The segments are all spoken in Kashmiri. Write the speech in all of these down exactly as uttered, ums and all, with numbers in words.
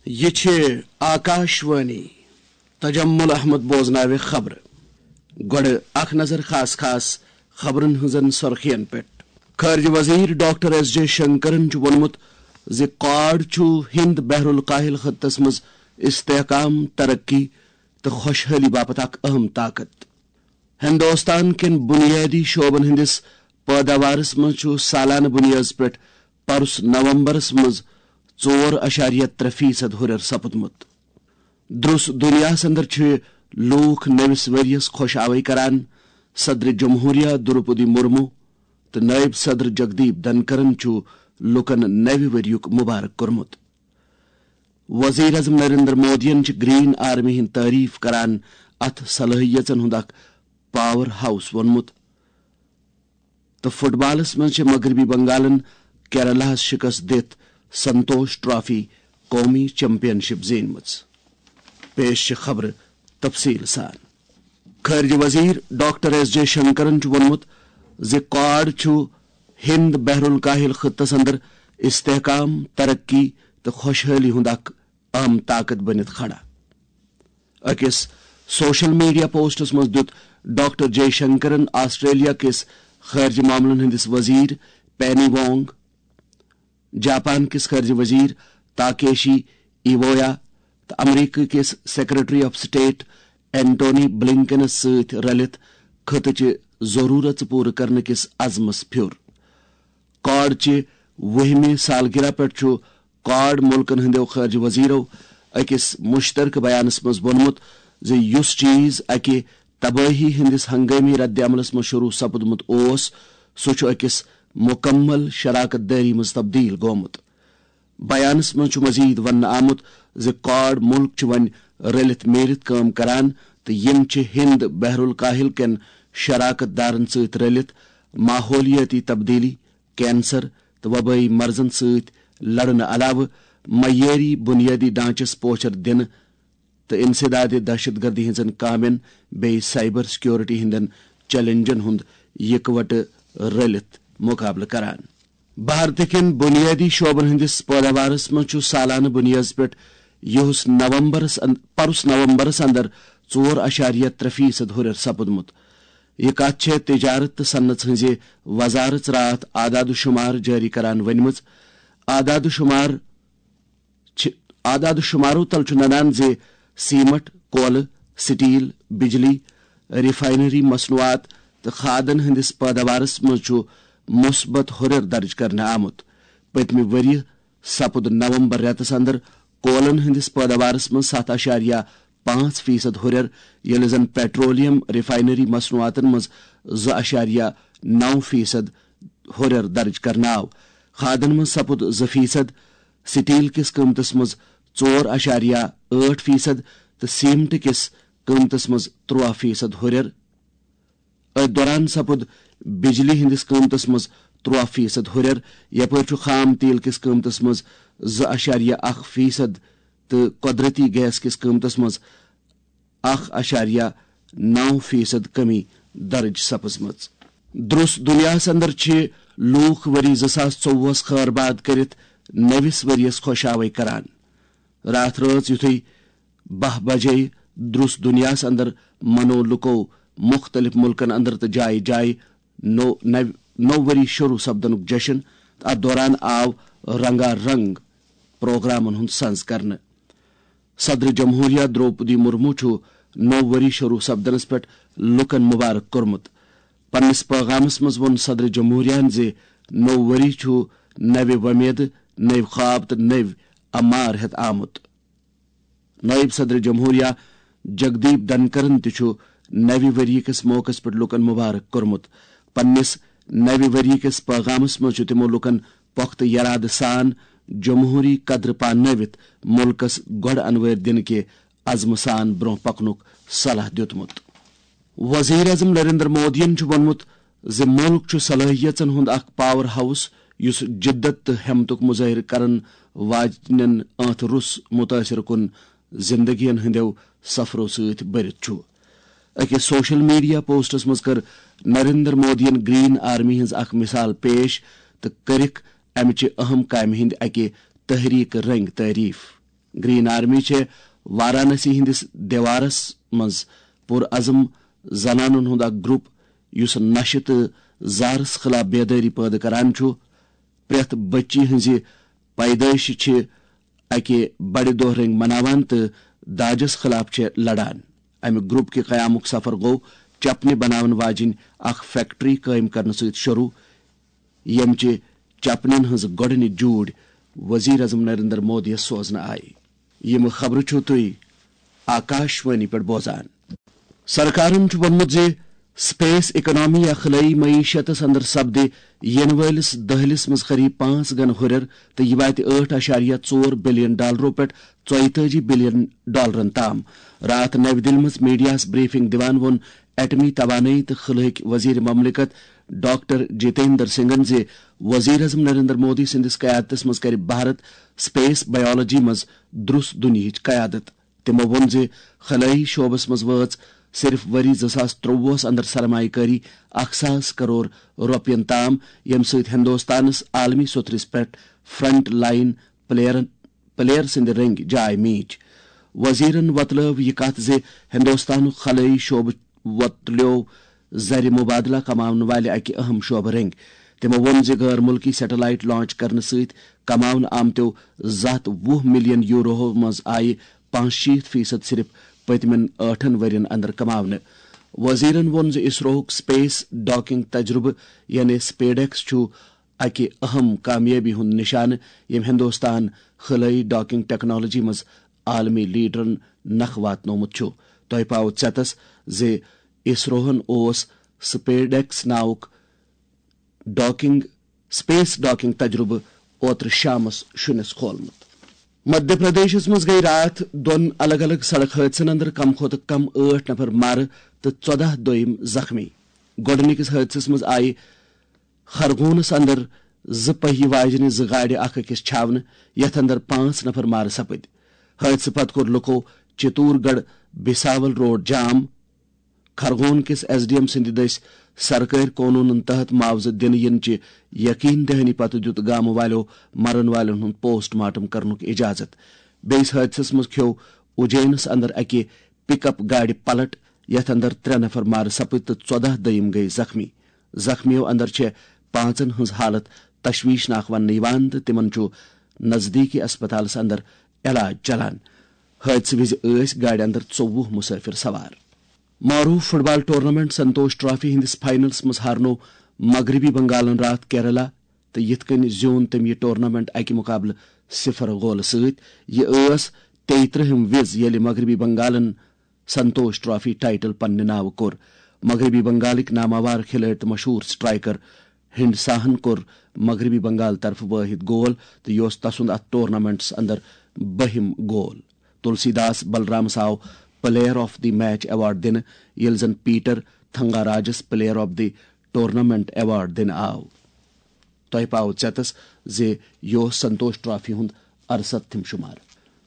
یہِ چھِ آکاشوانی۔ تجمل احمد بوزناوِ خبرٕ۔ گۄڈٕ اکھ نظر خاص خاص خبرن ہٕنٛزن سرخین پٮ۪ٹھ۔ خارجہ وزیر ڈاکٹر ایس جے شنکرن چھُ ووٚنمُت زِ کواڈ چھُ ہند بحر الکاہل خطس منٛز استحکام، ترقی تہٕ خۄشحٲلی باپتھ اکھ اہم طاقت۔ ہندوستان کٮ۪ن بُنیٲدی شعبن ہٕنٛدِس پٲداوارس منٛز چھُ سالانہٕ بُنیٲدس پٮ۪ٹھ پرُس نومبرس منٛز ژور اعشاریہ ترٛےٚ فیصد ہُرٮ۪ر سپُدمُت۔ درُس دُنیاہس اندر چھِ لوٗکھ نٔوِس ؤرۍیَس خۄش آوے کران۔ صدر جمہوریہ دروپدی مرمو تہٕ نٲیِب صدر جگدیپ دھنکرن چھُ لوٗکن نوِ ؤرۍیُک مبارک کوٚرمُت۔ وزیر اعظم نریندر مودیَن چھِ گرین آرمی ہٕنٛز تعریف کران اتھ صلٲحیژن ہُنٛد اکھ پاور ہاؤس ووٚنمُت۔ تہٕ فٹ بالس منٛز چھِ مغربی بنگالن کیرلاہس شکست دِتھ سنتوش ٹرافی قومی چیمپین شپ زیٖنمٕژ۔ پیش چھِ خبرٕ تفصیل سان۔ خارجہ وزیر ڈاکٹر ایس جے شنکرن چھُ ووٚنمُت زِ کواڈ چھُ ہند بحر الکاہل خطس اندر استحکام، ترقی تہٕ خۄشحٲلی ہُنٛد اکھ اہم طاقت بٔنِتھ کھڑا۔ أکِس سوشل میڈیا پوسٹس منٛز دیُت ڈاکٹر جے شنکرن آسٹریلیا کِس خارجہ معاملن ہٕنٛدِس وزیر پینی وانگ، جاپان کِس خارجہ وزیر تاکیشی ایوویا تہٕ امریکہ کِس سیکرٹری آف سٹیٹ اینٹونی بلنکنس سۭتۍ رلِتھ خطہٕ چہِ ضرورژ پوٗرٕ کرنہٕ کِس عزمس پھیُر۔ کواڈ چہِ وُہمہِ سالگرہ پٮ۪ٹھ چھُ کواڈ مُلکن ہٕنٛدٮ۪و خارجہ وزیرو أکِس مشترکہ بیانس منٛز ووٚنمُت زِ یُس چیز اکہِ تبٲہی ہٕنٛدِس ہنگٲمی رد عملس منٛز شروع سپُدمُت اوس، سُہ چھُ أکِس مکمل شراکت دٲری منٛز تبدیل گوٚمُت۔ بیانس منٛز چھُ مزید وننہٕ آمُت زِ کواڈ مُلک چھِ وۄنۍ رٔلِتھ میٖلِتھ کٲم کران تہٕ یِم چھِ ہند بحر الکاہل کٮ۪ن شراکت دارن سۭتۍ رٔلِتھ ماحولیٲتی تبدیلی، کینسر تہٕ وبٲیی مرضن سۭتۍ لڑنہٕ علاوٕ معیٲری بُنیٲدی ڈھانچس پوچھر دِنہٕ تہٕ انسداد دہشت گردی ہٕنٛزن کامٮ۪ن بیٚیہِ سائبر سیکیورٹی ہٕنٛدٮ۪ن چیلنجن ہُنٛد یکوٹہٕ رٔلِتھ مقابلہٕ کران۔ بھارت کٮ۪ن بُنیٲدی شعبن ہٕنٛدِس پٲداوارس منٛز چھُ سالانہٕ بُنیٲدس پٮ۪ٹھ یُہُس نومبرس اند-، پرُس نومبرس اندر ژور اعشاریہ ترٛےٚ فیصد ہُرٮ۪ر سپُدمُت۔ یہِ کتھ چھےٚ تجارت تہٕ صنعت ہٕنٛزِ وزارت راتھ اعداد و شمار جٲری کران ؤنمٕژ۔ اعداد و شمار چھِ، اعداد و شمارو تل چھُ ننان زِ سیمٹ، کولہٕ، سٹیل، بجلی، ریفائنری مصنوعات تہٕ کھادن ہٕنٛدِس پٲداوارس منٛز چھُ مثبت ہُرٮ۪ر درج کرنہٕ آمُت۔ پٔتمہِ ؤرۍ یہِ سپُد نومبر رٮ۪تس اندر کولن ہٕنٛدِس پٲداوارس منٛز ستھ اعشاریہ پانٛژھ فیصد ہُرٮ۪ر، ییٚلہِ زن پیٹرولیم ریفائنری مصنوعاتن منٛز زٕ اعشاریہ نو فیصد ہُرٮ۪ر درج کرنہٕ آو۔ کھادن منٛز سپُد زٕ فیصد، سٹیل کِس قۭمتس منٛز ژور اعشاریہ ٲٹھ فیصد تہٕ سیمٹ کِس قۭمتس منٛز ترٛواہ فیصد ہُرٮ۪ر۔ أتھۍ دوران سپُد بجلی ہٕنٛدِس قۭمتس منٛز ترٛواہ فیصد ہُرٮ۪ر، یپٲرۍ چھُ خام تیل کِس قۭمتس منٛز زٕ اعشاریہ اکھ فیصد تہٕ قۄدرٔتی گیس کِس قۭمتس منٛز اکھ اعشاریہ نو فیصد کمی درج سپٕزمٕژ۔ درُس دُنیاہس اندر چھِ لوٗکھ ؤری زٕ ساس ژوٚوُہس خٲر باد کٔرِتھ نٔوِس ؤرِیس خۄش آوے کران۔ راتھ رٲژ یُتھُے باہ بجے درُس دُنیاہس اندر منو لُکو مُختٔلِف مُلکن اندر تہٕ جایہِ جایہِ نو-، نو-، نوٚو ؤری شروع سپدنُک جشن تہٕ اتھ دوران آو رنگا رنگ پروگرامن ہُنٛد سنز کرنہٕ۔ صدر جمہوریہ دروپدی مرمو چھُ نوٚو ؤری شروع سپدنس پٮ۪ٹھ لوٗکن مبارک کوٚرمُت۔ پننِس پٲغامس منٛز ووٚن صدر جمہوریہن زِ نوٚو ؤری چھُ نوِ وۄمیدٕ، نٔوۍ خواب تہٕ نٔوۍ امار ہٮ۪تھ آمُت۔ نائب صدر جمہوریہ جگدیپ دھنکرن تہِ چھُ نوِ ؤری کِس موقعس پٮ۪ٹھ لوٗکن مبارک کوٚرمُت۔ پننِس نوِ ؤری کِس پٲغامس منٛز چھُ تِمو لوٗکن پۄختہٕ یرادٕ سان جمہوری قدر پانٲوِتھ مُلکس گۄڈٕ انوٲرۍ دِنہٕ کہِ عزمہٕ سان برٛونٛہہ پکنُک صلاح دیُتمُت۔ وزیر اعظم نریندر مودیَن چھُ ووٚنمُت زِ مُلک چھُ صلٲحیژن ہُنٛد اکھ پاور ہاؤس، یُس جدت تہٕ ہمتُک مظٲہرٕ کرن واجنٮ۪ن ٲنٛتھ روٚس متٲثر کُن زندگین ہٕنٛدٮ۪و سفرو سۭتۍ بٔرِتھ چھُ۔ أکِس سوشل میڈیا پوسٹس منٛز کٔر نریندر مودیَن گرین آرمی ہٕنٛز اکھ مثال پیش تہٕ کٔرٕکھ امہِ چہِ اہم کامہِ ہٕنٛدِ اکہِ تحریک رنگ تعریف۔ گرین آرمی چھےٚ وارانسی ہٕنٛدِس دیوارس منٛز پُرعزم زنانن ہُنٛد اکھ گروپ، یُس نشہٕ تہٕ زہرس خلاف بیدٲری پٲدٕ کران چھُ۔ پرٛٮ۪تھ بچی ہٕنٛزِ پیدٲیشہِ چھِ اکہِ بڑِ دۄہ رنگۍ مناوان تہٕ داجس خلاف چھِ لڑان۔ امہِ گروپ کہِ قیامُک سفر گوٚو چپنہِ بناون واجِنۍ اکھ فیکٹری قٲیِم کرنہٕ سۭتۍ شروع، ییٚمہِ چہِ چپنٮ۪ن ہٕنٛز گۄڈٕنِچ جوٗرۍ وزیر اعظم نریندر مودیَس سوزنہٕ آیہِ۔ یِم خبرٕ چھِو تُہۍ آکاشوانی پٮ۪ٹھ بوزان۔ سرکارن چھُ ووٚنمُت زِ سپیس اکنامی یا خلٲیی معیشتس اندر سپدِ یِنہٕ وٲلِس دٔہلِس منٛز قریب پانٛژھ گن ہُرٮ۪ر تہٕ یہِ واتہِ ٲٹھ اعشاریہ ژور بلین ڈالرو پٮ۪ٹھ ژۄیتٲجی بلین ڈالرن تام۔ راتھ نَوِ دِلہِ منٛز میڈیاہَس بریفنگ دِوان ووٚن ایٹمی توانٲیی تہٕ خلٲہٕکۍ وزیر مملکت ڈاکٹر جتیندر سنگھن زِ وزیر اعظم نریندر مودی سٕنٛدِس قیادتس منٛز کرِ بھارت سپیس بایولوجی منٛز درُس دُنیہٕچ قیادت۔ تِمو ووٚن زِ خلٲیی شعبس منٛز وٲژ صرف ؤری زٕ ساس ترٛۆوُہس اندر سرمایہ کٲری اکھ ساس کرور رۄپین تام، ییٚمہِ سۭتۍ ہندوستانس عالمی سطحس پٮ۪ٹھ فرنٹ لائن پلیئرن پلیر سٕنٛدِ رٔنگۍ جاے میٖج۔ وزیرن وۄتلٲو یہِ کتھ زِ ہندوستانُک خلٲیی شعبہٕ وۄتلیو زرِ مبادلہ کماون والہِ اکہِ اہم شعبہٕ رٔنگۍ۔ تِمو ووٚن زِ غٲر مُلکی سیٹلائٹ لانچ کرنہٕ سۭتۍ کماونہٕ آمتیو زٕ ہتھ وُہ ملین یوروہو منٛز آیہِ پانٛژشیٖتھ فیصد صرف پٔتمٮ۪ن ٲٹھن ؤرین اندر کماونہٕ۔ وزیرن ووٚن زِ اسروہُک سپیس ڈاکنگ تجربہٕ یعنی سپیڈیکس چھُ اکہِ اہم کامیٲبی ہُنٛد نشانہٕ، ییٚمۍ ہندوستان خلٲیی ڈاکنگ ٹیکنالوجی منٛز عالمی لیڈرن نکھٕ واتنومُت چھُ۔ تۄہہِ پاوٕ ژیتس زِ اسروہن اوس سپیڈیکس ناوُک ڈاکنگ، سپیس ڈاکنگ تجربہٕ اوترٕ شامس شُنِس کھولمُت۔ مدھیہ پردیشس منٛز گٔیہِ راتھ دۄن الگ الگ سڑک حٲدثن اندر کم کھۄتہٕ کم ٲٹھ نفر مارٕ تہٕ ژۄدہ دوٚیم زخمی۔ گۄڈٕنِکِس حٲدثس منٛز آیہِ خرگونس اندر زٕ پہیہِ واجنہِ زٕ گاڑِ اکھ أکِس چھاونہٕ، یتھ اندر پانٛژھ نفر مارٕ سپٕدۍ۔ حٲدثہٕ پتہٕ کوٚر لُکو چتور گڑھ بھساول روڈ جام۔ خرگون کِس ایس ڈی ایم سٕنٛدِ دٔسۍ سرکٲرۍ قونوٗنن تحت معاوضہٕ دِنہٕ یِنہٕ چہِ یقین دہانی پتہٕ دِیُت گامہٕ والٮ۪و مرن والٮ۪ن ہُنٛد پوسٹ مارٹم کرنُک اجازت۔ بیٚیِس حٲدثس منٛز کھیوٚو اُجینس اندر اکہِ پک اپ گاڑِ پلٹ، یتھ اندر ترٛےٚ نفر مارٕ سپٕدۍ تہٕ ژۄدہ دوٚیم گٔیہِ زخمی۔ زخمیو اندر چھےٚ پانٛژن ہٕنٛز حالت تشویشناک وننہٕ یِوان تہٕ تِمن چھُ نزدیکی اسپتالس اندر علاج چلان۔ حٲدثہٕ وِزِ ٲسۍ گاڑِ اندر ژوٚوُہ مسافر سوار۔ معروف فٹ بال ٹورنامنٹ سنتوش ٹرافی ہٕنٛدِس فاینلس منٛز ہارنوو مغربی بنگالن راتھ کیرلا تہٕ یِتھ کٔنۍ زیوٗن تٔمۍ یہِ ٹورنامنٹ اکہِ مقابلہٕ صفر گولہٕ سۭتۍ۔ یہِ ٲس تیٚیہِ ترٛہِم وِز ییٚلہِ مغربی بنگالن سنتوش ٹرافی ٹائٹل پننہِ ناوٕ کوٚر۔ مغربی بنگالٕکۍ ناماوار کھلٲڑۍ تہٕ مشہوٗر سٹرائیکر ہنڈساہن کوٚر مغربی بنگال طرفہٕ وٲحد گول تہٕ یہِ اوس تسُنٛد اتھ ٹورنامنٹس اندر بٔہِم گول۔ تلسی داس بلرامس آو player of the match award دِنہٕ، ییٚلہِ زن پیٹر تھنگاراجس player of the tournament award دِنہٕ آو۔ تۄہہِ پاوٕ ژیتس زِ یہِ اوس سنتوش ٹرافی ہُنٛد ارستھم شمار۔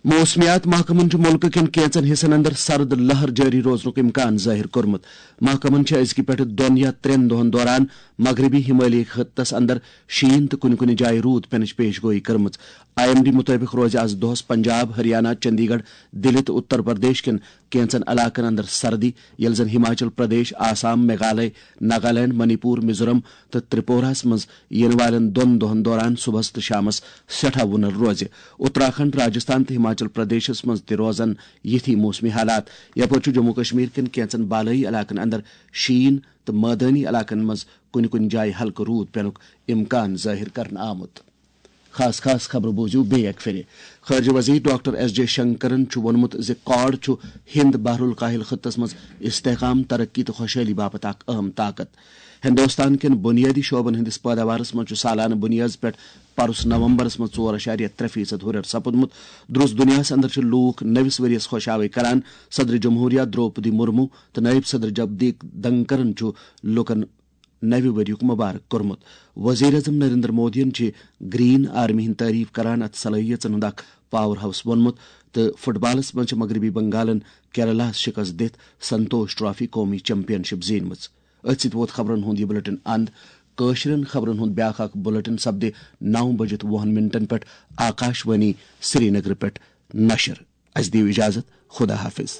موسمیات محکمن چھُ مُلکہٕ کٮ۪ن کینٛژن حصن اندر سرد لہر جٲری روزنُک امکان ظٲہِر کوٚرمُت۔ محکمن چھِ أزکہِ پٮ۪ٹھٕ دۄن یا ترٛٮ۪ن دۄہن دوران مغربی ہمالیہ خطس اندر شیٖن تہٕ کُنہِ کُنہِ جایہِ روٗد پینٕچ پیش گویی کٔرمٕژ۔ آئی ایم ڈی مُطٲبِق روزِ از دۄہس پنجاب، ہریانہ، چندی گڑھ، دِلہِ تہٕ اُتر پردیش کٮ۪ن کینٛژن علاقن اندر سردی، ییٚلہِ زن ہماچل پردیش، آسام، میگھالیہ، ناگالینڈ، منی پور، میزورم تہٕ ترپوراہس منٛز یِنہٕ والٮ۪ن دۄن دۄہن دوران صبحس تہٕ شامس سٮ۪ٹھاہ وُنل روزِ۔ اتراکھنڈ، راجستھان تہٕ ہماچل پردیشس منٛز تہِ روزن یِتھی موسمی حالات۔ یپٲرۍ چھُ جموں کشمیر کٮ۪ن کینٛژن بالٲیی علاقن اندر شیٖن تہٕ مٲدٲنی علاقن منٛز کُنہِ کُنہِ جایہِ ہلکہٕ روٗد پینُک امکان ظٲہِر کرنہٕ آمُت۔ خاص خاص خبرٕ بوٗزِو بیٚیہِ اَکہِ پھِرِ۔ خارجہ وزیر ڈاکٹر ایس جے شنکرن چھُ ووٚنمُت زِ کواڈ چھُ ہند بحر الکاہل خطس منٛز استحکام، ترقی تہٕ خۄشحٲلی باپتھ اکھ اہم طاقت۔ ہندوستان کٮ۪ن بنیٲدی شعبن ہٕنٛدِس پٲداوارس منٛز چھُ سالانہٕ بُنیٲدس پٮ۪ٹھ پرُس نومبرس منٛز ژور اعشاریہ ترٛےٚ فیصد ہُرٮ۪ر سپُدمُت۔ درُس دُنیاہس اندر چھِ لوٗکھ نٔوِس ؤرِیس خۄش آوے کران۔ صدر جمہوریہ درٛوپدی مرمو تہٕ نٲیِب صدر جگدیپ دھنکرن چھُ لوٗکن نوِ ؤریُک مبارک کوٚرمُت۔ وزیر اعظم نریندر مودیَن چھِ گرین آرمی ہٕنٛز تعریف کران اتھ صلٲحیژن ہُنٛد اکھ پاور ہاؤس ووٚنمُت تہٕ فٹ بالَس منٛز چھِ مغربی بنگالَن کیرلاہَس شکست دِتھ سنتوش ٹرافی قومی چیمپین شپ زیٖنمٕژ۔ أتھۍ سۭتۍ ووت خبرن ہُنٛد یہِ بلیٹن اند۔ کٲشرٮ۪ن خبرن ہُنٛد بیٛاکھ اکھ بلیٹن سپدِ نو بجِتھ وُہن منٹن پٮ۪ٹھ آکاش وانی سرینگر پٮ۪ٹھ۔ نشر۔ اسہِ دِیِو اجازت، خدا حافظ۔